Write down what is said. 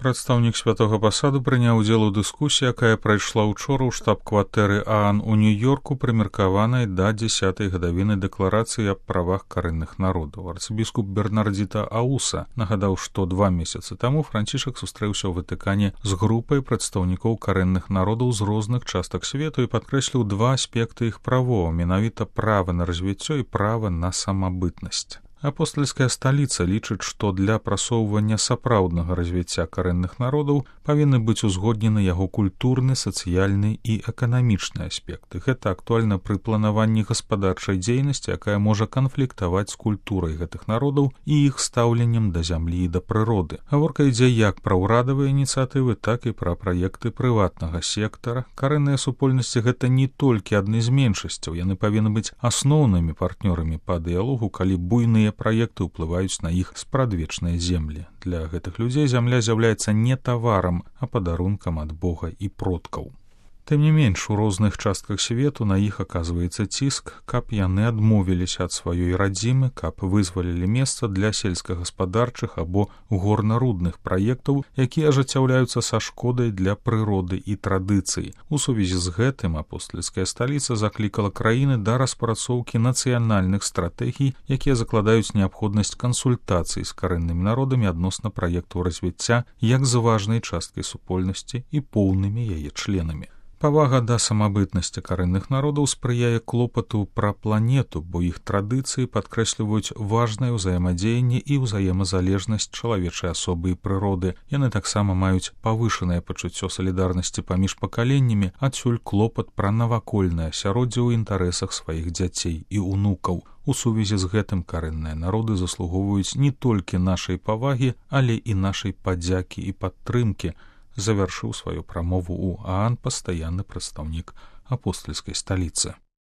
Прадстаўнік святога пасаду прыняў удзел у дыскусіі, якая прайшла ўчора ў штаб-кватэры ААН у Нью-Йорку, прымеркаванай да 10-й гадавіны дэкларацыі аб правах карэнных народаў. Арцыбіскуп Бернардзіта Ауса нагадаў, што 2 месяцы таму Францішак сустрэўся ў Ватыкане з групай прадстаўнікоў карэнных народаў з розных частак свету і падкрэсліў 2 аспекты іх правоў, менавіта права на развіццё і права на самабытнасць. Апостальская сталіца лічыць, што для прасоўвання сапраўднага развіцця карэнных народаў павінны быць узгоднены яго культурны, сацыяльны і эканамічны аспекты. Гэта актуальна пры планаванні гаспадарчай дзейнасці, якая можа канфліктаваць з культурай гэтых народаў і іх стаўленнем да зямлі і да прыроды. Гаворка ідзе як пра ўрадавыя ініцыятывы, так і пра праекты прыватнага сектара. Карэнныя супольнасці гэта не толькі адны з меншасцяў, яны павінны быць асноўнымі партнёрамі па дыялогу, калі буйныя праекты ўплываюць на іх спрадвечныя землі. Для гэтых людзей зямля з'яўляецца не таварам, а падарункам ад Бога і продкаў. Тым не менш, у розных частках свету на іх аказваецца ціск, каб яны адмовіліся ад сваёй радзімы, каб вызвалілі месца для сельскагаспадарчых або горнарудных праектаў, якія ажыццяўляюцца са шкодай для прыроды і традыцый. У сувязі з гэтым апостальская сталіца заклікала краіны да распрацоўкі нацыянальных стратэгій, якія закладаюць неабходнасць кансультацый з карэннымі народамі адносна праектаў развіцця як з важнай часткай супольнасці і поўнымі яе членамі. Павага да самабытнасці карэнных народаў спрыяе клопату пра планету, бо іх традыцыі падкрэсліваюць важнае ўзаемадзеянне і ўзаемазалежнасць чалавечай асобы і прыроды. Яны таксама маюць павышанае пачуццё салідарнасці паміж пакаленнямі, адсюль клопат пра навакольнае асяроддзе ў інтарэсах сваіх дзяцей і ўнукаў. У сувязі з гэтым карэнныя народы заслугоўваюць не толькі нашай павагі, але і нашай падзякі і падтрымкі, завяршыў сваю прамову ў ААН пастаянны прадстаўнік апостальскай сталіцы.